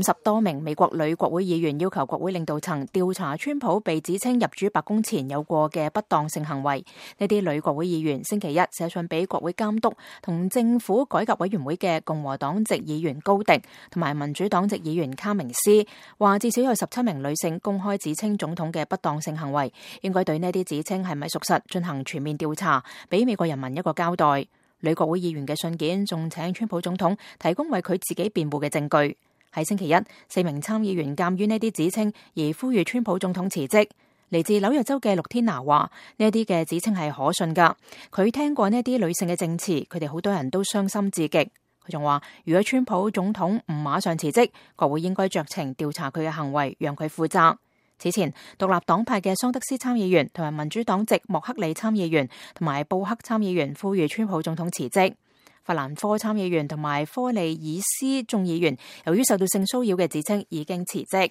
50多名美國女國會議員要求國會領導層調查川普被指稱入主白宮前有過嘅不當性行為。呢啲女國會議員星期一寫信俾國會監督同政府改革委員會嘅共和黨籍議員高迪同埋民主黨籍議員卡明斯，話至少有17名女性公開指稱總統嘅不當性行為，應該對呢啲指稱係咪屬實進行全面調查，俾美國人民一個交代。女國會議員嘅信件仲請川普總統提供為佢自己辯護嘅證據。喺星期一，4名參議員鑑於呢啲指稱而呼籲川普總統辭職。嚟自紐約州嘅陸天拿話，呢啲嘅指稱係可信㗎。佢聽過呢啲女性嘅證詞，佢哋好多人都傷心至極。佢仲話，如果川普總統唔馬上辭職，國會應該酌情調查佢嘅行為，讓佢負責。此前，獨立黨派嘅桑德斯參議員同埋民主黨籍莫克里參議員同埋布克參議員呼籲川普總統辭職。法蘭科參議員同埋科利爾斯眾議員由於受到性騷擾嘅指稱已經辭職。